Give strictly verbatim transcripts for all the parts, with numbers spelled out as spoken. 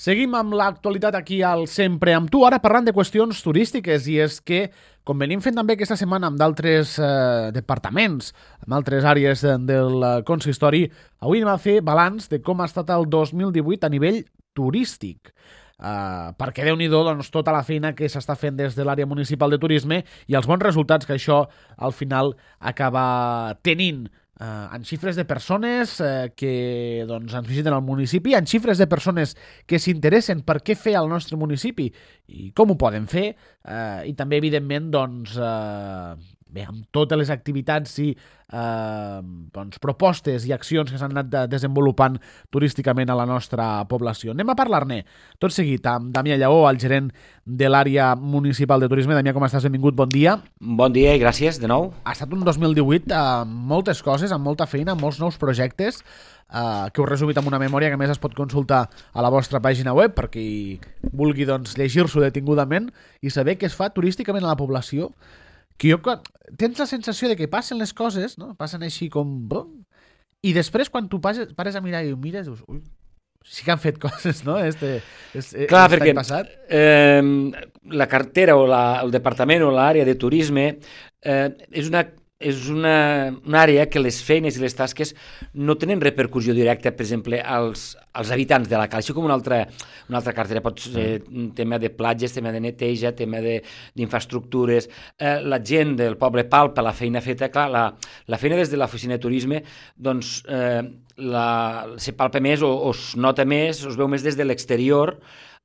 Seguim amb l'actualitat aquí al Sempre amb tu, ara parlant de qüestions turístiques, i és que, com venim fent també aquesta setmana amb d'altres eh, departaments, amb altres àrees de, del consistori, avui anem a fer balanç de com ha estat el dos mil divuit a nivell turístic. Uh, perquè Déu-n'hi-do doncs, tota la feina que s'està fent des de l'àrea municipal de turisme i els bons resultats que això al final acaba tenint. Uh, en xifres de persones uh, que doncs, ens visiten al municipi, en xifres de persones que s'interessen per què fer al nostre municipi i com ho poden fer, uh, i també, evidentment, doncs, uh, bé, amb totes les activitats i uh, doncs, propostes i accions que s'han anat de desenvolupant turísticament a la nostra població. Anem a parlar-ne tot seguit amb Damià Lleó, el gerent de l'àrea municipal de turisme. Damià, com estàs? Benvingut, bon dia. Bon dia i gràcies de nou. Ha estat un dos mil divuit amb moltes coses, amb molta feina, amb molts nous projectes, eh, que us resumit amb una memòria que a més es pot consultar a la vostra pàgina web per qui vulgui doncs, llegir-s'ho detingudament i saber què es fa turísticament a la població, que jo, tens la sensació de que passen les coses, no? Passen així com... I després, quan tu pares, pares a mirar i ho mires, dius, ui, sí que han fet coses, no? Este, este, Clar, este perquè passat. eh, la cartera o la, el departament o l'àrea de turisme eh, és una és una, una àrea que les feines i les tasques no tenen repercussió directa, per exemple, als, als habitants de la cala. Així com una altra, una altra cartera pot ser un tema de platges, tema de neteja, tema d'infraestructures. Eh, la gent del poble palpa la feina feta, clar, la, la feina des de l'oficina de turisme, doncs eh, la, se palpa més o, o es nota més, es veu més des de l'exterior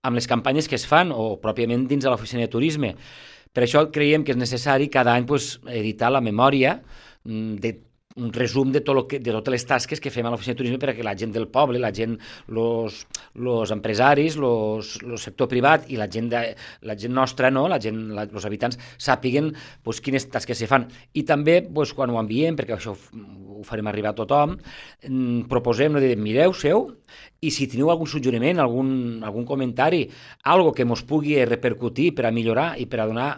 amb les campanyes que es fan o pròpiament dins de l'oficina de turisme. Per això creiem que és necessari cada any pues, editar la memòria de un resum de, tot lo que, de totes les tasques que fem a l'oficina de turisme perquè la gent del poble, la gent, els empresaris, el sector privat i la gent, de, la gent nostra, no? la gent, els habitants, sàpiguen pues, quines tasques se fan. I també, pues, quan ho enviem, perquè això ho farem arribar a tothom, proposem, no, de mireu, seu, i si teniu algun suggeriment, algun, algun comentari, algo que mos pugui repercutir per a millorar i per a donar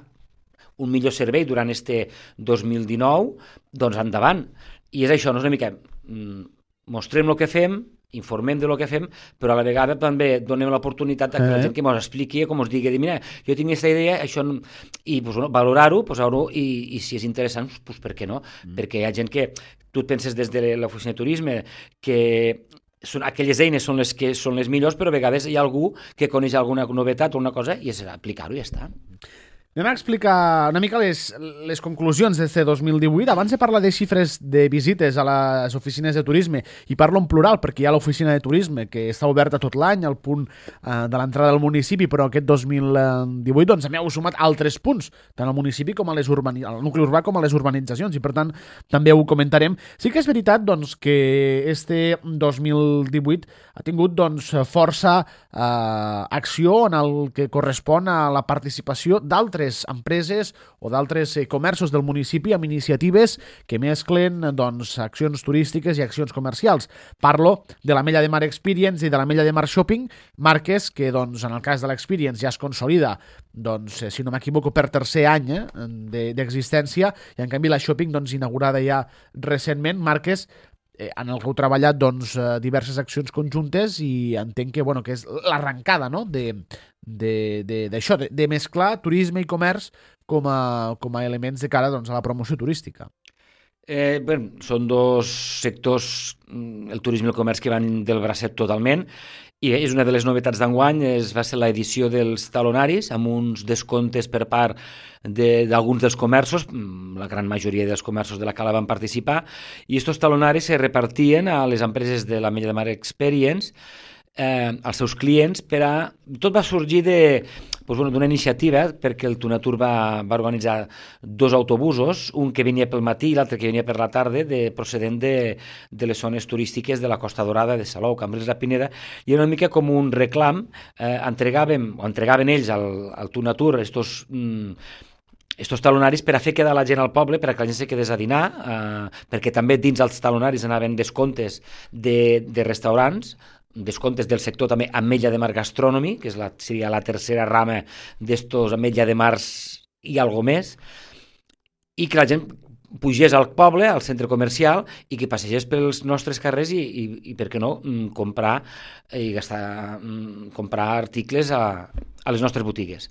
un millor servei durant este dos mil dinou, doncs endavant. I és això, no és una mica... Mostrem el que fem, informem de lo que fem, però a la vegada també donem l'oportunitat a que la gent que ens expliqui, com ens digui, mira, jo tinc aquesta idea, això... I pues, bueno, valorar-ho, posar-ho, i, i si és interessant, pues, per què no? Mm. Perquè hi ha gent que... Tu et penses des de l'oficina de turisme que... Són, aquelles eines són les que són les millors, però a vegades hi ha algú que coneix alguna novetat o una cosa i és aplicar-ho i ja està. Anem a explicar una mica les, les conclusions d'aquest dos mil divuit. Abans de parlar de xifres de visites a les oficines de turisme, i parlo en plural perquè hi ha l'oficina de turisme que està oberta tot l'any al punt eh, de l'entrada del municipi, però aquest dos mil divuit doncs, hem sumat altres punts, tant al municipi com a les urbani- al nucli urbà com a les urbanitzacions, i per tant també ho comentarem. Sí que és veritat doncs, que este dos mil divuit ha tingut doncs, força eh, acció en el que correspon a la participació d'altres empreses o d'altres eh, comerços del municipi amb iniciatives que mesclen doncs, accions turístiques i accions comercials. Parlo de la Mella de Mar Experience i de la Mella de Mar Shopping, marques que doncs, en el cas de l'Experience ja es consolida, doncs, si no m'equivoco, per tercer any eh, d'existència, i en canvi la Shopping doncs, inaugurada ja recentment, marques eh, en el que heu treballat doncs, diverses accions conjuntes, i entenc que, bueno, que és l'arrencada, no?, de d'això, de, de, de mesclar turisme i comerç com a, com a elements de cara doncs, a la promoció turística. Eh, bé, són dos sectors, el turisme i el comerç, que van del bracet totalment, i és una de les novetats d'enguany, es va ser l'edició dels talonaris, amb uns descomptes per part d'alguns de, dels comerços, la gran majoria dels comerços de la Cala van participar, i aquests talonaris se repartien a les empreses de la Mella de Mar Experience, eh, als seus clients, per a... Tot va sorgir de... Pues, bueno, d'una iniciativa, perquè el Tunatur va, va organitzar dos autobusos, un que venia pel matí i l'altre que venia per la tarda, de, procedent de, de les zones turístiques de la Costa Dorada, de Salou, Cambrils, la Pineda, i era una mica com un reclam. Eh, entregàvem, o entregaven ells al, al Tunatur estos... Mm, estos talonaris per a fer quedar la gent al poble, per a que la gent se quedés a dinar, eh, perquè també dins els talonaris anaven descomptes de, de restaurants, descomptes del sector també Ametlla de Mar Gastronomy, que és la, seria la tercera rama d'estos Ametlla de Mars i algo més, i que la gent pugés al poble, al centre comercial, i que passegés pels nostres carrers i, i, i per què no, comprar i gastar, comprar articles a, a les nostres botigues.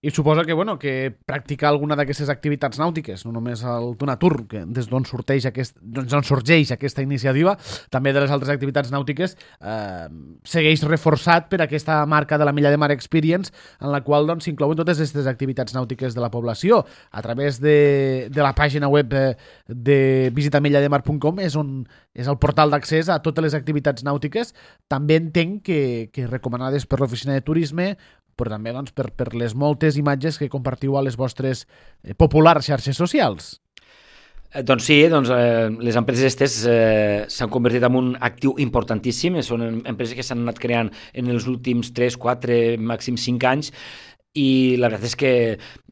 I suposa que, bueno, que practicar alguna d'aquestes activitats nàutiques, no només el Donatur, que des d'on sorgeix, aquest, doncs on sorgeix aquesta iniciativa, també de les altres activitats nàutiques, eh, segueix reforçat per aquesta marca de la Milla de Mar Experience, en la qual doncs, s'inclouen totes aquestes activitats nàutiques de la població. A través de, de la pàgina web de visita milla de mar punt com és, on, és el portal d'accés a totes les activitats nàutiques. També entenc que, que recomanades per l'Oficina de Turisme, però també doncs, per, per les moltes imatges que compartiu a les vostres eh, populars xarxes socials. Eh, doncs sí, doncs, eh, les empreses aquestes eh, s'han convertit en un actiu importantíssim, són empreses que s'han anat creant en els últims tres, quatre, màxim cinc anys, i la veritat és que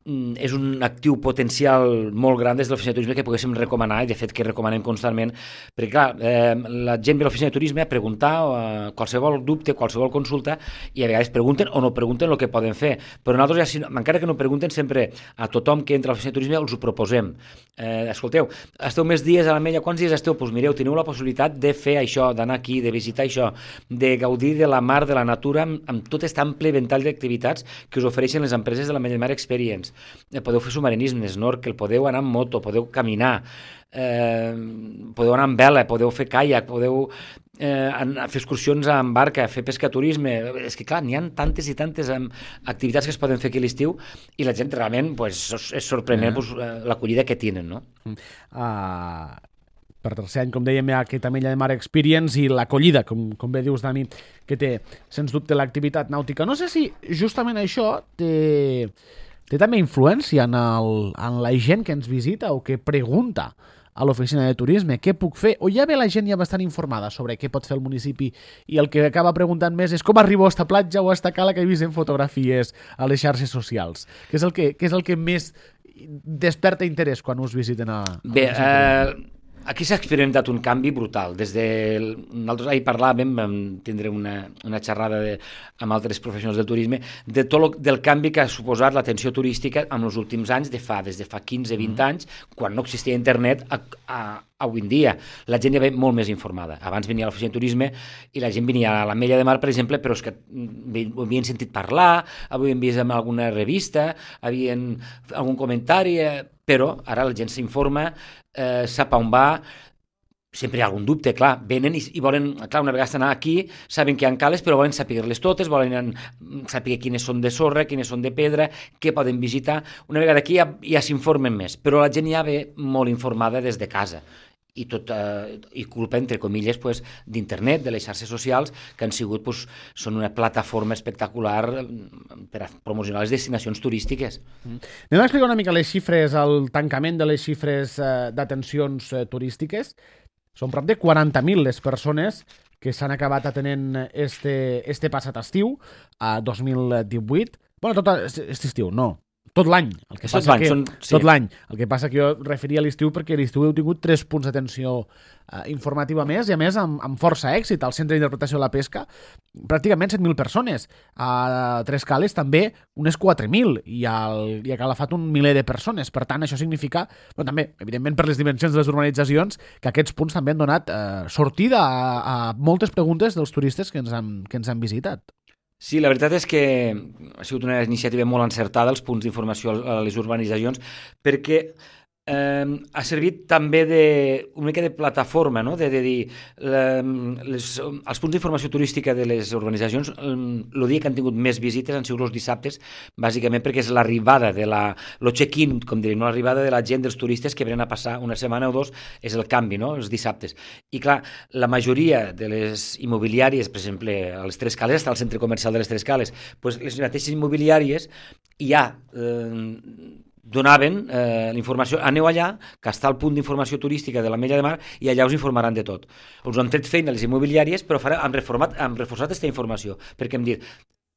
és un actiu potencial molt gran des de l'Oficina de Turisme que poguéssim recomanar, i de fet que recomanem constantment, perquè clar, eh, la gent ve a l'Oficina de Turisme a preguntar eh, qualsevol dubte, qualsevol consulta, i a vegades pregunten o no pregunten el que poden fer, però nosaltres, ja, si no, encara que no pregunten, sempre a tothom que entra a l'Oficina de Turisme els ho proposem. Eh, escolteu, esteu més dies a l'Ametlla, quants dies esteu? Doncs mireu, teniu la possibilitat de fer això, d'anar aquí, de visitar això, de gaudir de la mar, de la natura, amb, amb tot aquest ample ventall d'activitats que us ofereixen les empreses de la Milla de Mar Experience. Podeu fer submarinisme, snorkel, podeu anar en moto, podeu caminar, eh, podeu anar en vela, podeu fer caiac, podeu eh, fer excursions amb barca, fer pescaturisme. És que clar, n'hi ha tantes i tantes eh, activitats que es poden fer aquí a l'estiu, i la gent realment pues, és sorprenent eh. pues, l'acollida que tenen, no? Uh, per tercer any, com dèiem, hi ha aquesta Milla de Mar Experience i l'acollida, com, com bé dius, Dani, que té, sens dubte, l'activitat nàutica. No sé si justament això té... té també influència en, el, en la gent que ens visita o que pregunta a l'oficina de turisme què puc fer, o ja ve la gent ja bastant informada sobre què pot fer el municipi i el que acaba preguntant més és com arribo a esta platja o a esta cala que he vist en fotografies a les xarxes socials, que és el que, que, és el que més desperta interès quan us visiten a... a Bé, eh... aquí s'ha experimentat un canvi brutal. Des de... Nosaltres ahir parlàvem, vam tindre una, una xerrada de, amb altres professionals del turisme, de tot lo, del canvi que ha suposat l'atenció turística en els últims anys, de fa, des de fa quinze vint mm. anys, quan no existia internet, a, a, a avui en dia. La gent ja ve molt més informada. Abans venia a l'oficina de turisme i la gent venia a l'Ametlla de Mar, per exemple, però és que ho havien sentit parlar, havien vist en alguna revista, havien algun comentari, però ara la gent s'informa, eh, sap on va, sempre hi ha algun dubte, clar, venen i, i volen, clar, una vegada estan aquí, saben que hi ha cales, però volen saber-les totes, volen saber quines són de sorra, quines són de pedra, què poden visitar. Una vegada aquí ja, ja s'informen més, però la gent ja ve molt informada des de casa. I tot, eh, i culpa, entre comilles, pues, d'internet, de les xarxes socials, que han sigut, pues, són una plataforma espectacular per a promocionar les destinacions turístiques. Mm. Anem a explicar una mica les xifres, el tancament de les xifres eh, d'atencions eh, turístiques. Són prop de quaranta mil les persones que s'han acabat atenent este, este passat estiu, a dos mil divuit. Bueno, tot aquest estiu, no. Tot l'any. El que passa que, són, sí. Tot l'any. El que passa que jo referia a l'estiu perquè a l'estiu heu tingut tres punts d'atenció eh, informativa més, i a més amb, amb força èxit. Al Centre d'Interpretació de la Pesca, pràcticament set mil persones. A Tres Cales també unes quatre mil, i, al, i a Calafat un miler de persones. Per tant, això significa, bueno, també, evidentment per les dimensions de les urbanitzacions, que aquests punts també han donat eh, sortida a, a moltes preguntes dels turistes que ens han, que ens han visitat. Sí, la veritat és que ha sigut una iniciativa molt encertada, els punts d'informació a les urbanitzacions, perquè eh, ha servit també de, una mica de plataforma, no? de, de dir, les, els punts d'informació turística de les urbanitzacions, el dia que han tingut més visites han sigut els dissabtes, bàsicament perquè és l'arribada de la, el check-in, com diríem, no? L'arribada de la gent, dels turistes que venen a passar una setmana o dos, és el canvi, no? Els dissabtes. I clar, la majoria de les immobiliàries, per exemple, a les Tres Cales, està el centre comercial de les Tres Cales, doncs les mateixes immobiliàries ja eh, donaven eh, la informació, aneu allà, que està el punt d'informació turística de l'Ametlla de Mar, i allà us informaran de tot. Us han tret feina les immobiliàries, però farà, han, reformat, han reforçat aquesta informació, perquè hem dit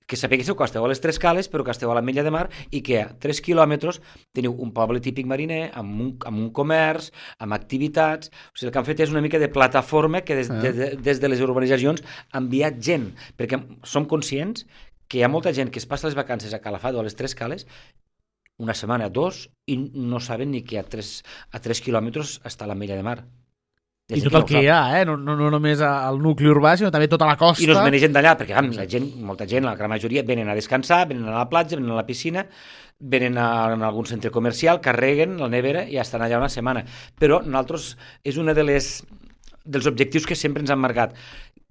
que sapigueu que esteu a les Tres Cales, però que esteu a l'Ametlla de Mar, i que a tres quilòmetres teniu un poble típic mariner, amb un, amb un comerç, amb activitats. O sigui, el que han fet és una mica de plataforma que des, de, de, des de les urbanitzacions ha enviat gent, perquè som conscients que hi ha molta gent que es passa les vacances a Calafat o a les Tres Cales una setmana, dos, i no saben ni que a tres, a tres quilòmetres està l'Ametlla de Mar. I tot el que hi ha, eh? No, no, no només al nucli urbà, sinó també tota la costa. I no es manegen d'allà, perquè la gent, molta gent, la gran majoria, venen a descansar, venen a la platja, venen a la piscina, venen a, a algun centre comercial, carreguen la nevera i estan allà una setmana. Però nosaltres, és una de les dels objectius que sempre ens han marcat,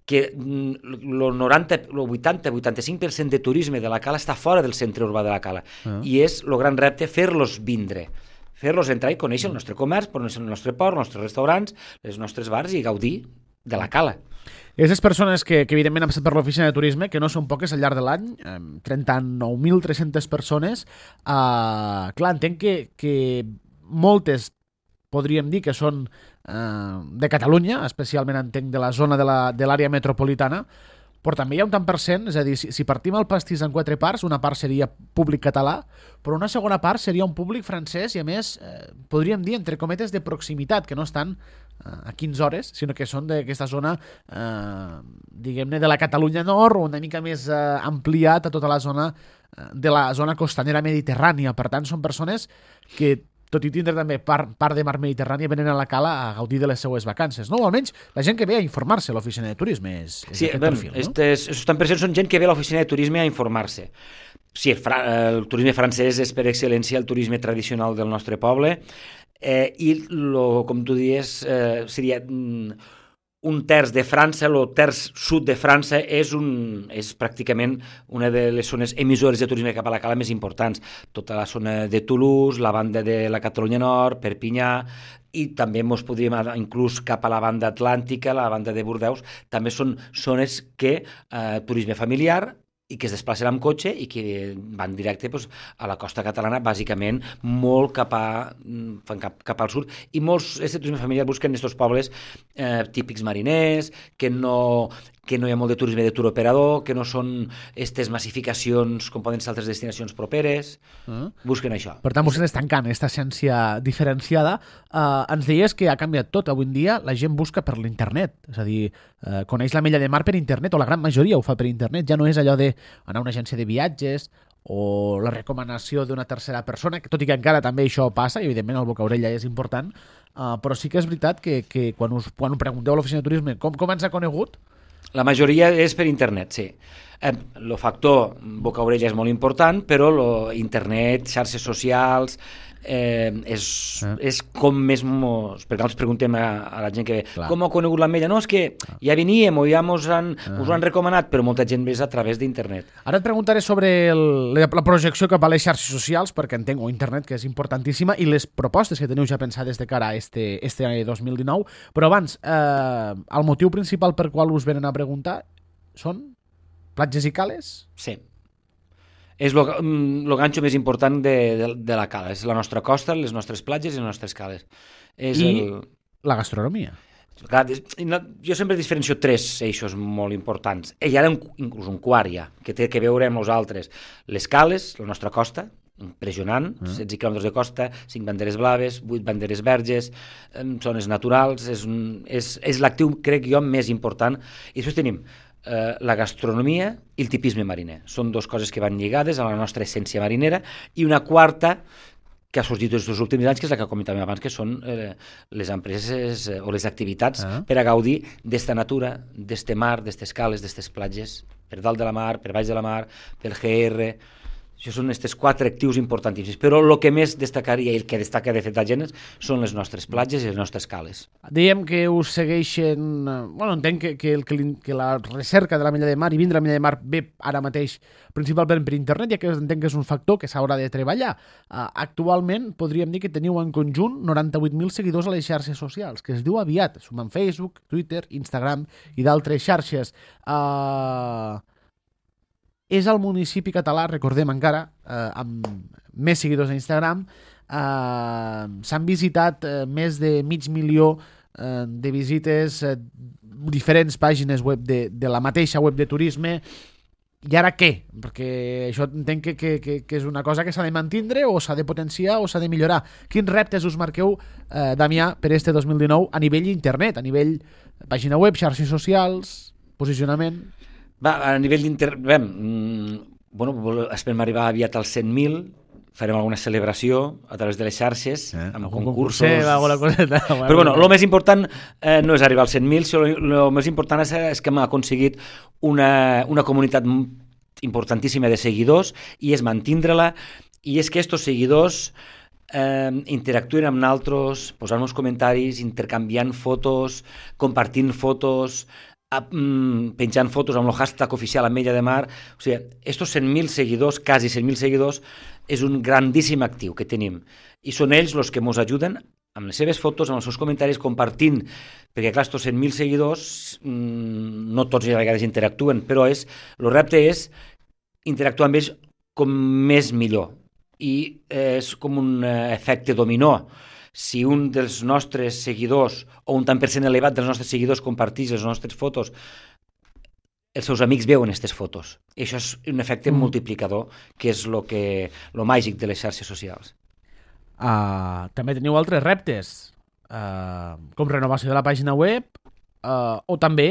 que el noranta, el vuitanta, vuitanta-cinc per cent de turisme de la Cala està fora del centre urbà de la Cala. Uh-huh. I és el gran repte fer-los vindre. Fer-los entrar i conèixer el nostre comerç, conèixer el nostre port, els nostres restaurants, els nostres bars i gaudir de la Cala. I aquestes persones que, que evidentment han passat per l'oficina de turisme, que no són poques al llarg de l'any, eh, trenta-nou mil tres-centes persones, eh, clar, entenc que, que moltes podríem dir que són eh, de Catalunya, especialment entenc de la zona de la, de l'àrea metropolitana, però també hi ha un tant per cent, és a dir, si, si partim el pastís en quatre parts, una part seria públic català, però una segona part seria un públic francès i, a més, eh, podríem dir, entre cometes, de proximitat, que no estan eh, a quinze hores, sinó que són d'aquesta zona, eh, diguem-ne, de la Catalunya Nord, o una mica més eh, ampliat a tota la zona eh, de la zona costanera mediterrània. Per tant, són persones que, tot i tindre també part, part de mar Mediterrània, venen a la Cala a gaudir de les seues vacances, no? O almenys la gent que ve a informar-se a l'oficina de turisme és, és sí, aquest ben, perfil, no? Estes, estos per cent són gent que ve a l'oficina de turisme a informar-se. Sí, el, fra, el turisme francès és per excel·lència el turisme tradicional del nostre poble, eh, i lo, com tu dius, eh, seria mm, un terç de França, el terç sud de França és, un, és pràcticament una de les zones emissores de turisme cap a la Cala més importants. Tota la zona de Toulouse, la banda de la Catalunya Nord, Perpinyà, i també ens podríem anar inclús cap a la banda atlàntica, la banda de Bordeus, també són zones que eh, turisme familiar i que es desplacen amb cotxe i que van directe pues, a la costa catalana, bàsicament molt cap, a, cap, cap al sud. I molts, aquest turisme familiar, busquen aquests pobles eh, típics mariners, que no, que no hi ha molt de turisme de tour operador, que no són aquestes massificacions com poden ser altres destinacions properes. Uh-huh. Busquen això. Per tant, vostès estan tancant aquesta essència diferenciada. Uh, ens deies que ha canviat tot. Avui en dia la gent busca per l'internet. És a dir, uh, coneix l'Ametlla de Mar per internet, o la gran majoria ho fa per internet. Ja no és allò d'anar a una agència de viatges o la recomanació d'una tercera persona, que tot i que encara també això passa, i evidentment el boca-orella és important, uh, però sí que és veritat que, que quan, us, quan ho pregunteu a l'oficina de turisme com, com ens ha conegut, la majoria és per internet, sí. El eh, factor boca-orella és molt important, però lo, internet, xarxes socials, eh, és, ah. és com més mos... Perquè nosaltres preguntem a, a la gent que ve, clar, com ha conegut l'Ametlla? No, és que ja veníem o ja mos han, ah. us ho han recomanat, però molta gent ve a través d'internet. Ara et preguntaré sobre el, la, la projecció cap a les xarxes socials, perquè entenc, o internet, que és importantíssima, i les propostes que teniu ja pensades de cara a este, este dos mil dinou, però abans, eh, el motiu principal per qual us venen a preguntar són platges i cales? Sí. És el ganxo més important de, de, de la Cala. És la nostra costa, les nostres platges i les nostres cales. És I el... la gastronomia. Jo sempre diferencio tres eixos molt importants. I ara inclús un quart ja, que té que veure amb nosaltres. Les cales, la nostra costa, impressionant, mm. setze quilòmetres de costa, cinc banderes blaves, vuit banderes verges, zones naturals, és, un, és, és l'actiu, crec jo, més important. I després tenim eh, la gastronomia i el tipisme mariner. Són dues coses que van lligades a la nostra essència marinera, i una quarta que ha sorgit aquests últims anys, que és la que comentàvem abans, que són eh, les empreses eh, o les activitats ah. per a gaudir d'esta natura, d'este mar, d'estes cales, d'estes platges, per dalt de la mar, per baix de la mar, pel G R. Això són aquests quatre actius importantíssims. Però el que més destacaria, i el que destaca de fet la gent, són les nostres platges i les nostres cales. Dèiem que us segueixen... Bueno, entenc que, que, que, que la recerca de l'Ametlla de Mar i vindre a l'Ametlla de Mar ve ara mateix principalment per internet, ja que entenc que és un factor que s'haurà de treballar. Uh, actualment podríem dir que teniu en conjunt noranta-vuit mil seguidors a les xarxes socials, que es diu aviat. Sumen Facebook, Twitter, Instagram i d'altres xarxes. Uh... És el municipi català, recordem encara, eh, amb més seguidors a Instagram. Eh, s'han visitat eh, més de mig milió eh, de visites, eh, diferents pàgines web de, de la mateixa web de turisme. I ara què? Perquè això entenc que, que, que, que és una cosa que s'ha de mantindre o s'ha de potenciar o s'ha de millorar. Quins reptes us marqueu, eh, Damià, per este dos mil dinou a nivell internet, a nivell pàgina web, xarxes socials, posicionament? Va, a nivell d'internet, mm, bueno, esperem arribar aviat als cent mil farem alguna celebració a través de les xarxes, eh, amb algun concursos... concurset, alguna coseta. Però bueno, el més important eh, no és arribar als cent mil, el més important és, és que hem aconseguit una, una comunitat importantíssima de seguidors i és mantindre-la, i és que aquests seguidors eh, interactuen amb nosaltres, posant-nos comentaris, intercanviant fotos, compartint fotos, a, mm, penjant fotos amb el hashtag oficial Ametlla de Mar. O sigui, estos cent mil seguidors, quasi cent mil seguidors, és un grandíssim actiu que tenim. I són ells els que ens ajuden amb les seves fotos, amb els seus comentaris, compartint, perquè clar, estos cent mil seguidors, mmm, no tots a vegades interactuen, però és, el repte és interactuar amb ells com més millor. I eh, és com un eh, efecte dominó. Si un dels nostres seguidors, o un tant per cent elevat dels nostres seguidors compartís les nostres fotos, els seus amics veuen aquestes fotos. I això és un efecte mm. multiplicador, que és lo que, lo màgic de les xarxes socials. Uh, també teniu altres reptes, uh, com renovació de la pàgina web uh, o també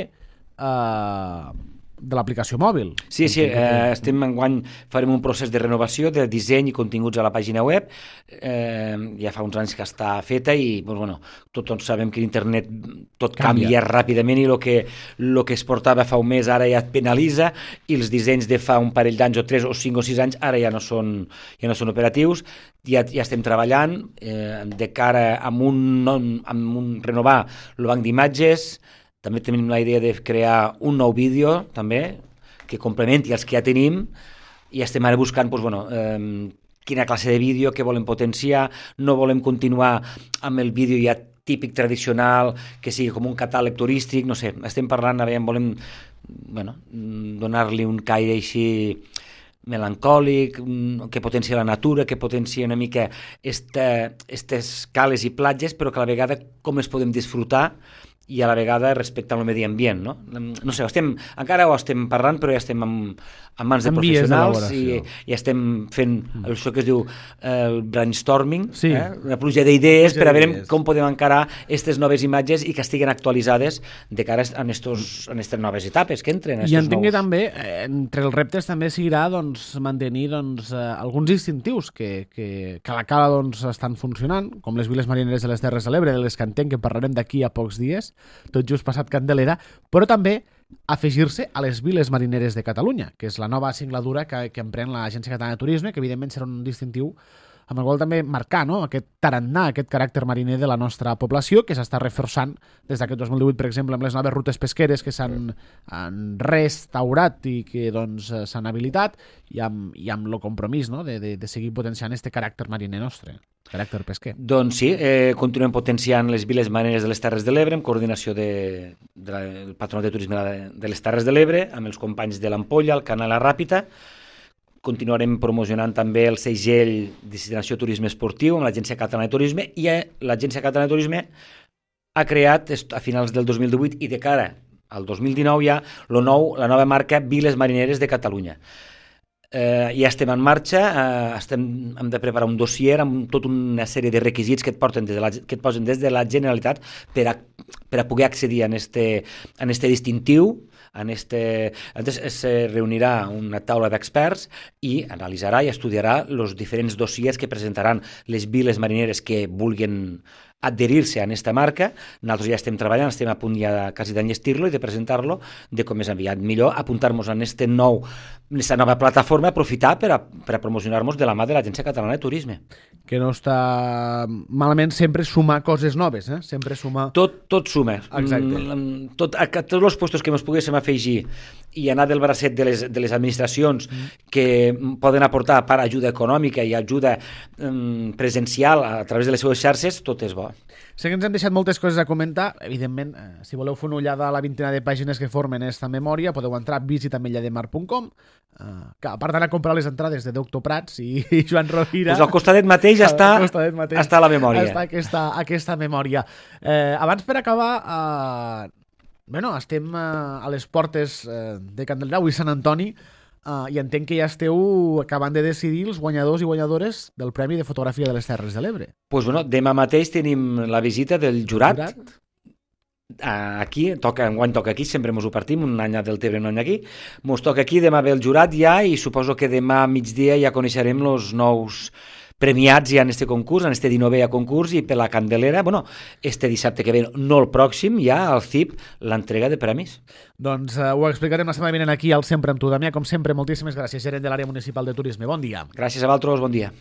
uh, de l'aplicació mòbil. Sí, sí, eh, estem enguany, farem un procés de renovació de disseny i continguts a la pàgina web. Eh, ja fa uns anys que està feta i doncs, bueno, tots, tots sabem que l'internet tot canvia, canvia ràpidament i el que, lo que es portava fa un mes ara ja et penalitza i els dissenys de fa un parell d'anys o tres o cinc o sis anys ara ja no són, ja no són operatius. Ja, ja estem treballant eh, de cara a un, amb un renovar el banc d'imatges. També tenim la idea de crear un nou vídeo, també, que complementi els que ja tenim, i estem ara buscant doncs, bueno, eh, quina classe de vídeo, què volem potenciar, no volem continuar amb el vídeo ja típic tradicional, que sigui com un catàleg turístic, no sé, estem parlant, a veure, volem bueno, donar-li un caire així melancòlic, que potencia la natura, que potencia una mica aquestes cales i platges, però que a la vegada com les podem disfrutar i a la vegada respectant el medi ambient, no? No sé, estem, encara ho estem parlant, però ja estem en, en mans de en professionals i ja estem fent mm. això que es diu el brainstorming, sí. eh? Una pluja d'idees per a veure com podem encarar aquestes noves imatges i que estiguen actualitzades de cara a aquestes noves etapes que entren. I entenc que també, eh, entre els reptes també seguirà doncs, mantenir doncs, eh, alguns distintius que, que, que a la cala doncs, estan funcionant, com les viles marineres de les Terres de l'Ebre, de les que entenc que parlarem d'aquí a pocs dies, tot just passat Candelera, però també afegir-se a les viles marineres de Catalunya, que és la nova singladura que, que emprèn l'Agència Catalana de Turisme, que evidentment serà un distintiu amb el qual també marcar, no?, aquest tarannà, aquest caràcter mariner de la nostra població, que s'està reforçant des d'aquest dos mil divuit, per exemple, amb les noves rutes pesqueres que s'han restaurat i que doncs, s'han habilitat, i amb, i amb el compromís, no?, de, de, de seguir potenciant aquest caràcter mariner nostre, caràcter pesquer. Doncs sí, eh, continuem potenciant les viles marineres de les Terres de l'Ebre, en coordinació de, de la, del Patronat de Turisme de les Terres de l'Ebre, amb els companys de l'Ampolla, el Canal La Ràpita. Continuarem promocionant també el segell Destinació Turisme Esportiu amb l'Agència Catalana de Turisme, i l'Agència Catalana de Turisme ha creat a finals del dos mil divuit i de cara al dos mil dinou ja lo nou, la nova marca Viles Marineres de Catalunya. Eh, ja estem en marxa, eh, estem, hem de preparar un dossier amb tota una sèrie de requisits que et, porten des de la, que et posen des de la Generalitat per a, per a poder accedir a este, a este distintiu. En este, entonces se reunirà una taula d'experts i analitzarà i estudiarà els diferents dossiers que presentaran les viles marineres que vulguin adherir-se a aquesta marca. Nosaltres ja estem treballant, estem a punt ja quasi d'enllestir-lo i de presentar-lo, de com és aviat millor, apuntar-nos en este nou, aquesta nova plataforma, aprofitar per a, per a promocionar-nos de la mà de l'Agència Catalana de Turisme. Que no està malament sempre sumar coses noves, eh? Sempre sumar... Tot, tot suma. Exacte. Mm, tot, a, a tots els puestos que ens poguéssim afegir i anar del bracet de les, de les administracions mm. que poden aportar part ajuda econòmica i ajuda mm, presencial a través de les seves xarxes, tot és bo. Sé que ens hem deixat moltes coses a comentar. Evidentment, eh, si voleu fer una ullada a la vintena de pàgines que formen aquesta memòria, podeu entrar a visita ametlla de mar punt com, eh, que a part d'anar a comprar les entrades de Doctor Prats i, i Joan Rovira... Pues al costadet mateix ja està, mateix està la memòria. Està aquesta, aquesta memòria. Eh, abans, per acabar, eh, bueno, estem eh, a les portes eh, de Candelgrau i Sant Antoni, Uh, i entenc que ja esteu acabant de decidir els guanyadors i guanyadores del Premi de Fotografia de les Terres de l'Ebre. Pues bueno, demà mateix tenim la visita del jurat. jurat? Aquí, toca, enguany toca aquí, sempre mos ho partim, un any del Tebre, un any aquí. Mos toca aquí, demà ve el jurat ja, i suposo que demà a migdia ja coneixerem els nous premiats ja en este concurs, en este dinovè concurs, i per la Candelera, bueno, este dissabte que ve, no el pròxim, ja al C I P, l'entrega de premis. Doncs uh, ho explicarem la setmana vinent aquí al Sempre amb tu, Damià. Com sempre, moltíssimes gràcies, gerent de l'àrea municipal de turisme. Bon dia. Gràcies a vosaltres, bon dia.